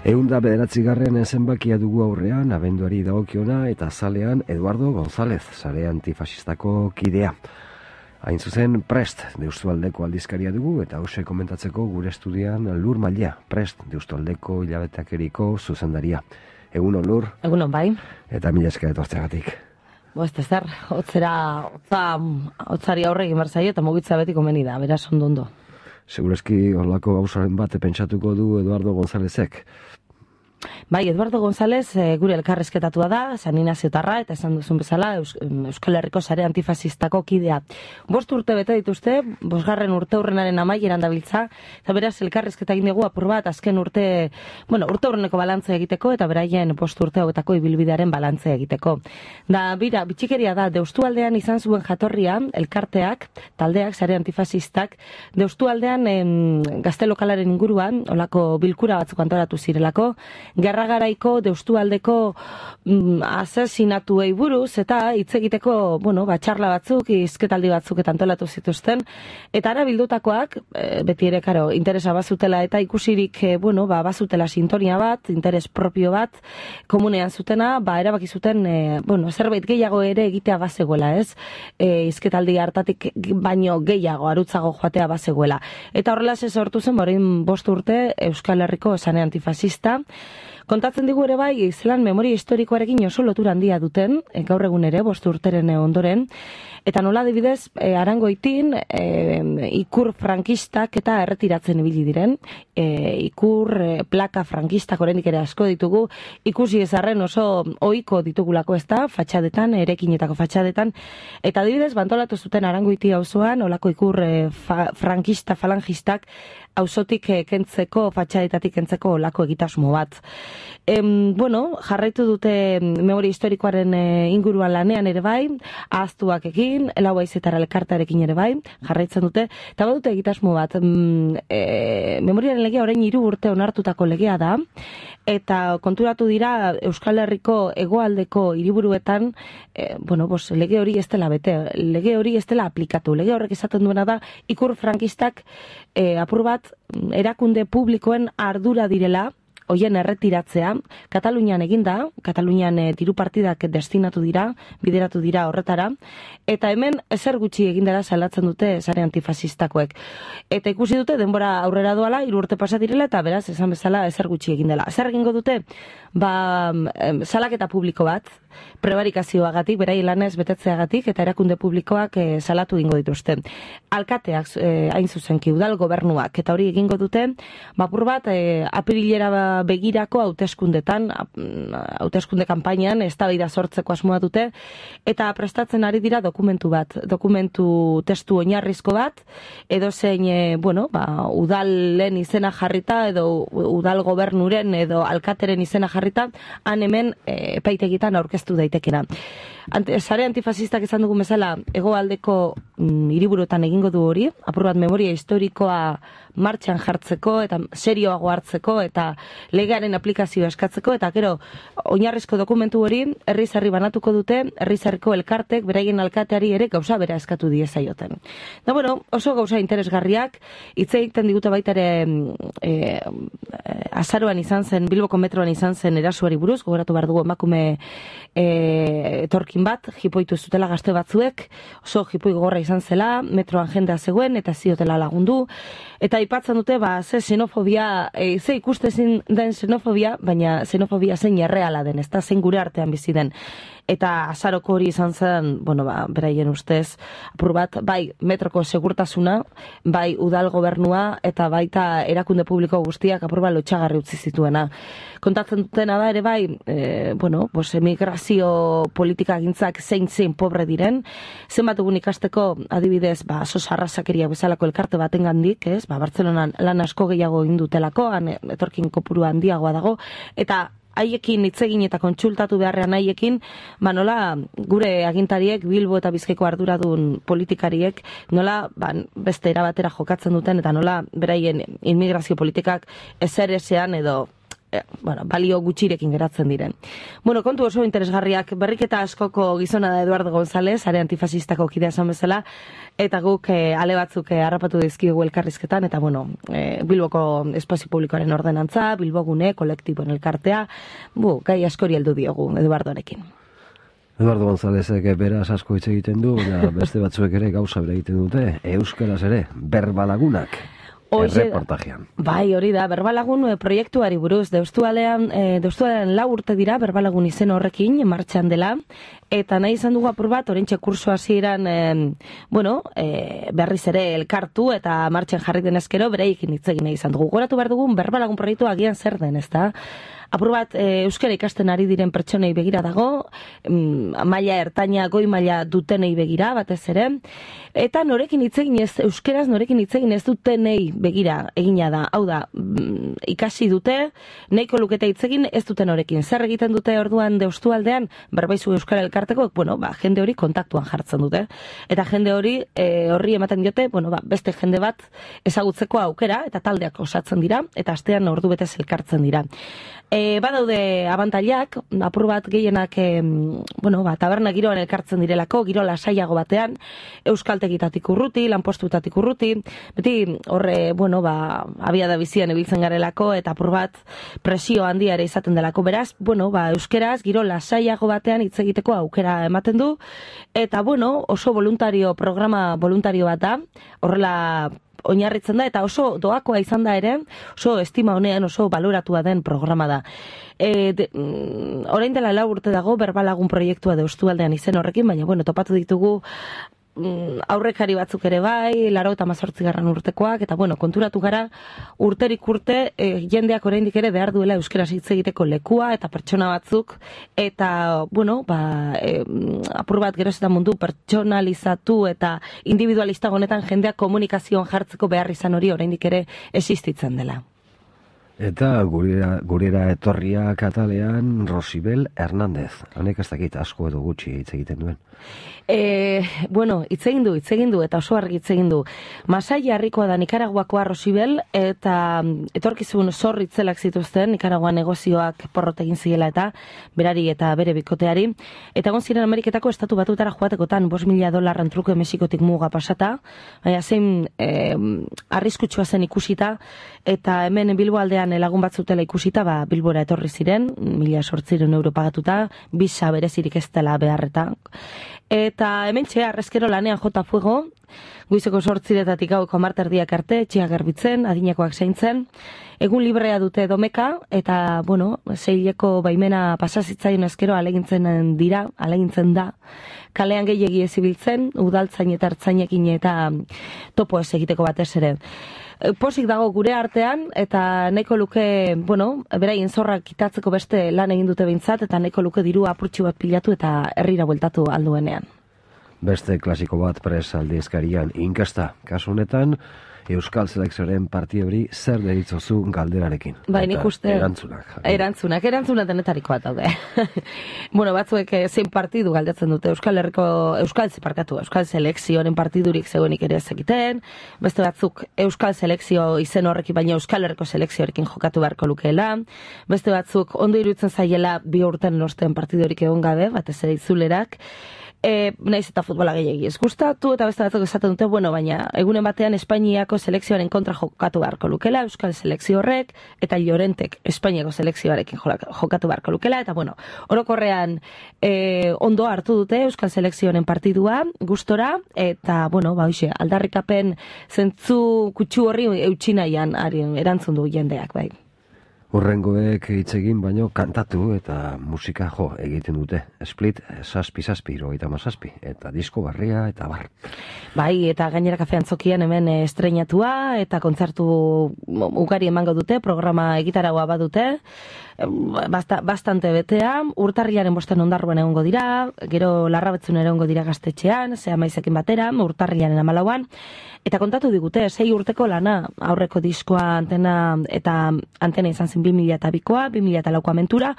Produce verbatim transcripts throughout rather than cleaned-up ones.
Eunda bederatzigarren zenbakia dugu aurrean, abenduari dagokiona eta zalean Eduardo González, sare antifasistako kidea. Hain zuzen, Prest, Deustualdeko aldizkaria dugu, eta hause komentatzeko gure estudian Lur Malia, Prest, Deustualdeko hilabeteakeriko zuzendaria. Egunon, Lur? Egunon, bai. Eta mila esker etortzeagatik. Bo, ez zer, hotzera, hotza, hotzari aurre egin berzaio eta mugitza beti komeni da, beraz ondo ondo. Segurazki horlako gauzaren bat pentsatuko du Eduardo Gonzálezek. Bai, Eduardo González e, gure elkarrezketatua da, San Inaziotarra, eta esan duzun bezala Eus, Euskal Herriko sare antifasistako kidea. Bost urte bete dituzte, bosgarren urte hurrenaren amaieran dabiltza, eta beraz elkarrezketa egin dugu apur bat, azken urte, bueno, urte hurreneko balantzea egiteko, eta beraien bost urte hauetako ibilbidearen balantzea egiteko. Da, bira, bitxikeria da, Deustualdean izan zuen jatorria, elkarteak, taldeak, sare antifasistak, Deustualdean em, gazte lokalaren inguruan, olako bilkura batzuk antolatu zirelako, Gerragaraiko Deustualdeko mm, asesinatuei buruz eta hitz egiteko, bueno, batxarla batzuk, hizketaldi batzuk eta antolatu zituzten, eta ara bildutakoak, e, beti ere, karo, interesa bazutela eta ikusirik, e, bueno, ba, bazutela sintonia bat, interes propio bat, komunean zutena, ba, erabaki zuten, e, bueno, zerbait gehiago ere egitea bazegoela, ez? E, hizketaldi hartatik baino gehiago, arutzago joatea bazegoela. Eta horrela ze sortu zen, orain bost urte Euskal Herriko sare antifasista. Kontatzen digu ere bai, zelan memoria historikoarekin oso lotura handia duten, e, gaur egun ere, bost urteren ondoren, eta nola adibidez, e, Arangoitin, e, ikur frankistak eta erretiratzen ibili diren, e, ikur e, plaka frankistak oraindik ere asko ditugu, ikusi ezarren oso ohiko ditugulako ez da, fatxadetan, erekinetako fatxadetan, eta adibidez, bantolatu zuten Arangoiti auzoan, olako ikur e, fa, frankista falangistak, auzotik kentzeko, fatxadetatik kentzeko olako egitasmo bat. Em, bueno, jarraitu dute memoria historikoaren e, inguruan lanean ere bai, ahaztuak egin, lau haizetara elkartarekin ere bai, jarraitzen dute, eta badute egitasmo bat, mm, e, memoriaren legea orain hiru urte onartutako legea da, eta konturatu dira Euskal Herriko hegoaldeko hiriburuetan, e, bueno, bos, lege hori ez dela bete, lege hori ez dela aplikatu, lege horrek esaten duena da, ikur frankistak e, apur bat erakunde publikoen ardura direla, hoien erretiratzea, Katalunian eginda, Katalunian e, diru partidak destinatu dira, bideratu dira horretara, eta hemen ezer gutxi egindara salatzen dute sare antifasistakoek. Eta ikusi dute denbora aurrera doala, hiru urte pasa direla, eta beraz, esan bezala ezer gutxi egindela. Zer egingo dute? Ba, em, salaketa publiko bat, prebarikazioagatik, berai lanez betetzeagatik, eta erakunde publikoak e, salatu egingo dituzte. Alkateak, e, hain zuzenki, udal gobernuak, eta hori egingo dute, bapur bat, e, apirilera begirako hauteskundetan, hauteskunde kanpainan eztabaida sortzeko asmoa dute, eta prestatzen ari dira dokumentu bat, dokumentu testu oinarrizko bat, edo zein, e, bueno, ba, udalen izena jarrita, edo udal gobernuren, edo alkateren izena jarrita, han hemen e, epaitegitan aurkeztu daitekena. Ante, sare antifasistak izan dugun bezala, hegoaldeko mm, hiriburuetan egingo du hori, apur bat memoria historikoa martxan jartzeko, eta serioago hartzeko, eta legearen aplikazioa eskatzeko, eta gero, oinarrizko dokumentu hori, herriz-herri banatuko dute, herriz-herriko elkartek, beraien alkateari ere gauza bera eskatu diezaioten. Da, bueno, oso gauza interesgarriak, hitz egiten digute baita ere e, e, azaroan izan zen, Bilboko metroan izan zen erasuari buruz, gogoratu behar dugu emakume e, etorkin bat, jipoitu zutela gazte batzuek, oso jipoi gogorra izan zela, metroan jendea zegoen, eta ziotela lagundu, eta aipatzen dute, ba, ze xenofobia, e, ze ikustezin den xenofobia, baina xenofobia zein erreala den, ez da, zein gure artean bizi den. Eta azaroko hori izan zen, bueno, ba, beraien ustez, apur bat, bai, metroko segurtasuna, bai, udal gobernua, eta baita erakunde publiko guztiak apur bat lotxagarri utzi zituena. Kontatzen dutena da ere bai, e, bueno, bos, emigrazio politika gintzak zein zein pobre diren, zenbat egun ikasteko adibidez, ba, sos arrasakeria bezalako elkarte baten gandik, ez, ba, Bartzelonan lan asko gehiago egin dutelako, han etorkin kopuru handiagoa dago, eta haiekin hitz egin eta kontsultatu beharrean haiekin, ba nola gure agintariek, Bilbo eta Bizkaiko arduradun politikariek, nola ba, beste erabatera jokatzen duten, eta nola beraien inmigrazio politikak ezer ezean edo e, bueno, balio gutxirekin geratzen diren. Bueno, kontu oso interesgarriak, berriketa askoko gizona da Eduardo González, are antifasistako kidea esan bezala, eta guk e, ale batzuk e, harrapatu dizkigu elkarrizketan, eta bueno, e, Bilboko espazio publikoaren ordenantza, Bilbogune, kolektiboen elkartea, bu, gai askori heldu diogu Eduardorekin. Eduardo Gonzálezek beraz asko hitz egiten du, baina beste batzuek ere gauza bere egiten dute, euskaraz ere, berbalagunak. Erreportajean. Bai, hori da, Berbalagun e, proiektuari buruz, deustualean, e, deustualean lau urte dira, Berbalagun izen horrekin, martxan dela, eta nahi izan dugu apur bat, orentxe kurso hasieran, e, bueno, e, berriz ere elkartu, eta martxan jarri denezkero, bereikin hitz egin nahi izan dugu. Goratu behar dugun, Berbalagun proiektu agian zer den, ez da? Apur bat, e, euskara ikasten ari diren pertsonei begira dago, mm, maila ertaina, goi maila dutenei begira, batez ere, eta norekin hitz egin ez, euskeraz norekin hitz egin ez dutenei begira egina da. Hau da, mm, ikasi dute, nahiko lukete hitz egin ez duten norekin. Zer egiten dute orduan deustualdean, berbaizu euskara elkarteko, bueno, ba, jende hori kontaktuan jartzen dute. Eta jende hori, e, horri ematen diote, bueno, ba, beste jende bat ezagutzeko aukera, eta taldeak osatzen dira, eta astean ordu betez elkartzen dira. E, badaude abantailak, apur bat gehienak, e, bueno, ba, taberna giroan elkartzen direlako, giro lasaiago batean, euskaltegitatik urruti, lanpostutatik urruti, beti horre, bueno, ba, abiada bizian ibiltzen garelako, eta apur bat presio handia ere izaten delako, beraz, bueno, ba, euskeraz, giro lasaiago batean hitz egiteko aukera ematen du, eta, bueno, oso voluntario, programa voluntario bat da, horrela oinarritzen da, eta oso doakoa izan da ere, oso estima honean oso baloratua den programa da. E, de, mm, orain dela lau urte dago, Berbalagun proiektua deustualdean izen horrekin, baina, bueno, topatu ditugu mm, aurrekari batzuk ere bai, laro eta mazortzigarren urtekoak, eta, bueno, konturatu gara, urterik urte, e, jendeak oraindik ere behar duela euskaraz hitz egiteko lekua, eta pertsona batzuk, eta, bueno, ba, e, apur bat geroz eta mundu pertsonalizatu eta individualista honetan jendeak komunikazioan jartzeko behar izan hori oraindik ere existitzen dela. Eta gurera, gurera etorria katalean Rosibel Hernández. Hanek ez dakit asko edo gutxi hitz egiten duen. E, bueno, hitz egin du, hitz egin du, eta oso argi hitz egin du. Masai harrikoa da Nikaraguakoa Rosibel, eta etorkizun zor itzelak zituzten, Nikaragua negozioak porrot egin ziela eta berari eta bere bikoteari. Eta egon ziren Ameriketako estatu batutara joatekotan bost mila dolarren truke Mexikotik muga pasata, baina zein e, arriskutsua zen ikusita, eta hemen Bilbo aldean lagun batzutela ikusita, ba, Bilbora etorri ziren, mila sortziren euro pagatuta, bisa berezirik ez dela beharreta. Eta hemen txea, arrezkero lanean jota fuego, goizeko sortziretatik gaueko marterdiak arte, txea garbitzen, adinakoak zaintzen, egun librea dute domeka, eta, bueno, zeileko baimena pasazitzaion ezkero alegintzen dira, alegintzen da, kalean gehiegi ezibiltzen, udaltzain eta hartzainekin eta topo ez egiteko batez ere. Posik dago gure artean, eta nahiko luke, bueno, beraien zorrak kitatzeko beste lan egin dute behintzat, eta nahiko luke diru apurtxu bat pilatu eta herrira bueltatu alduenean. Beste klasiko bat pres aldizkarian inkesta, kasu honetan, Euskal Selekzioaren parti hori zer deritzozu galderarekin. Bai, nik uste... Erantzunak. Erantzunak, erantzunak denetariko bat daude. Bueno, batzuek zein partidu galdetzen dute Euskal Herriko, Euskal Zeparkatu, Euskal Selekzioaren partidurik zegoenik ere ezekiten, beste batzuk Euskal Selekzio izen horrekin, baina Euskal Herriko Selekzioarekin jokatu beharko lukeela, beste batzuk ondo iruditzen zaiela bi urten nosten partidurik egon gabe, batez ere itzulerak, E, naiz eta futbola gehiagi ez gustatu, eta beste batzuk esaten dute, bueno, baina egunen batean Espainiako selekzioaren kontra jokatu beharko lukela, Euskal Selekzio horrek, eta Llorentek Espainiako selekzioarekin jokatu beharko lukela, eta bueno, orokorrean e, ondo hartu dute Euskal Selekzioaren partidua, gustora, eta bueno, ba, hoxe, aldarrikapen zentzu kutsu horri eutxinaian erantzun du jendeak, bai. Urrengoek hitz egin baino kantatu eta musika jo egiten dute. Split, saspi saspi, hirurogeita hamazazpi, eta disko barria eta bar. Bai, eta gainera kafean zokian hemen estreinatua, eta kontzertu ugari emango dute, programa egitaragoa badute, Basta, bastante betea, urtarrilaren bosten ondarruan egongo dira, gero larrabetzun egongo dira gaztetxean, zea maizekin batera, urtarrilaren amalauan, eta kontatu digute, sei urteko lana, aurreko diskoa antena, eta antena izan magazin bi mila bikoa, bi mila lauko Aventura,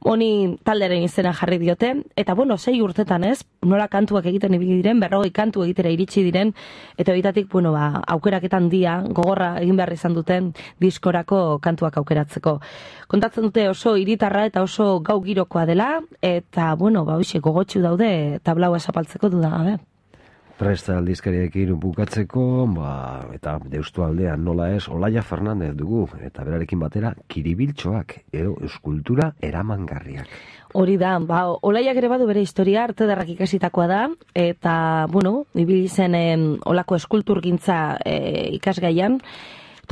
honi talderen izena jarri diote, eta bueno, sei urtetan ez, nola kantuak egiten ibili diren, berrogei kantu egitera iritsi diren, eta horitatik, bueno, ba, aukeraketan dia, gogorra egin behar izan duten diskorako kantuak aukeratzeko. Kontatzen dute oso hiritarra eta oso gau girokoa dela, eta, bueno, ba, hoxe, gogotxu daude tablaua zapaltzeko dudagabe. Prest aldizkariekin bukatzeko, ba, eta Deustu aldean nola ez, Olaia Fernandez dugu, eta berarekin batera, kiribiltxoak, edo eskultura eramangarriak. Hori da, ba, Olaiak ere badu bere historia, arte derrak ikasitakoa da, eta, bueno, ibili zen em, olako eskulturgintza e, ikasgaian,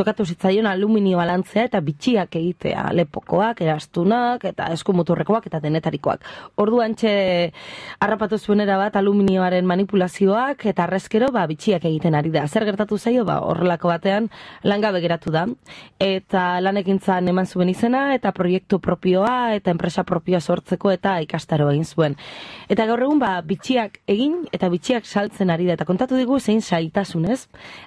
tokatu zitzaion aluminioa lantzea eta bitxiak egitea, lepokoak, erastunak, eta eskumuturrekoak eta denetarikoak. Orduan txe harrapatu zuenera bat aluminioaren manipulazioak eta arrezkero ba, bitxiak egiten ari da. Zer gertatu zaio, ba, horrelako batean langabe geratu da. Eta lanekintzan eman zuen izena eta proiektu propioa eta enpresa propioa sortzeko eta ikastaro egin zuen. Eta gaur egun ba, bitxiak egin eta bitxiak saltzen ari da. Eta kontatu digu zein zailtasunez.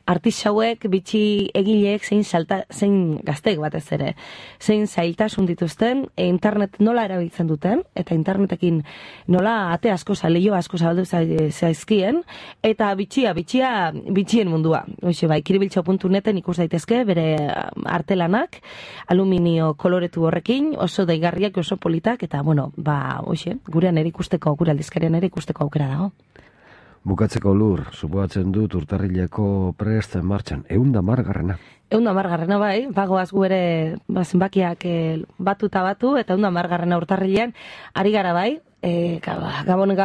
Artisauek, bitxi egileek zein, salta, zein gazteek batez ere, zein zailtasun dituzten, e, internet nola erabiltzen duten, eta internetekin nola ate asko, leio asko zabaldu zaizkien, eta bitxia, bitxia, bitxien mundua. Hoxe, bai, kiribiltxo puntu neten ikus daitezke, bere artelanak, aluminio koloretu horrekin, oso daigarriak, oso politak, eta, bueno, ba, hoxe, gurean ere ikusteko, gure aldizkarian ere ikusteko aukera dago. Bukatzeko Lur, supoatzen dut urtarrileko Prest martxan, eunda margarrena. Eunda margarrena bai, bagoaz gu ere ba, zenbakiak e, batu eta batu, eta eunda margarrena urtarrilean, ari gara bai, e, gabon e,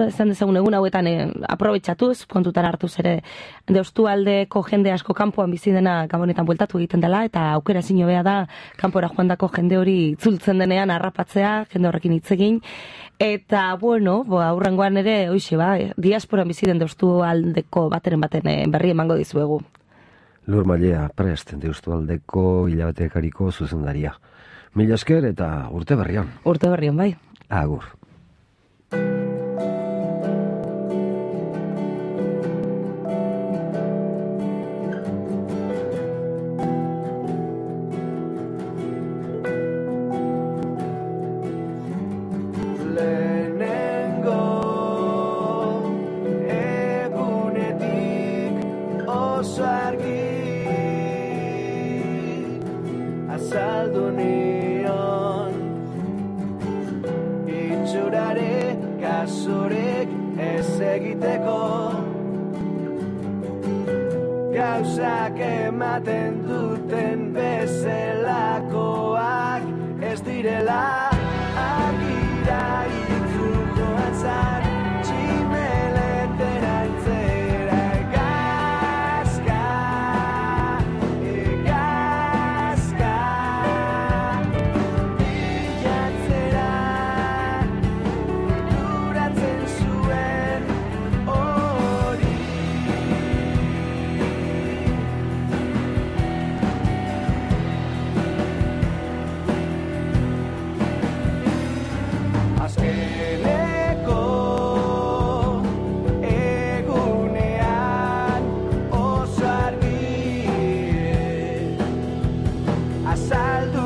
zan dezagun egun hauetan e, aprobetxatuz, kontutan hartuz ere Deustu aldeko jende asko kanpoan bizi dena gabonetan bueltatu egiten dela, eta aukera ezin hobea da kanpora joandako jende hori itzultzen denean harrapatzea, jende horrekin hitz egin. Eta, bueno, bo, aurrengoan ere, hoxe, ba, diasporan bizi den Deustu aldeko bateren baten e, berri emango dizuegu. Lur Mailea, Prest, Deustu aldeko hilabetekariko zuzendaria. Mila esker eta urte berrian. Urte berrian, bai. Agur. Azaldu nion itxurare kasurik ez egiteko, gauzak ematen duten bezelakoak ez direla argira itzu joan zan tximeletera itzera egazka, egazka bilatzera duratzen zuen hori. Azkeneko egunean oso argi azaldu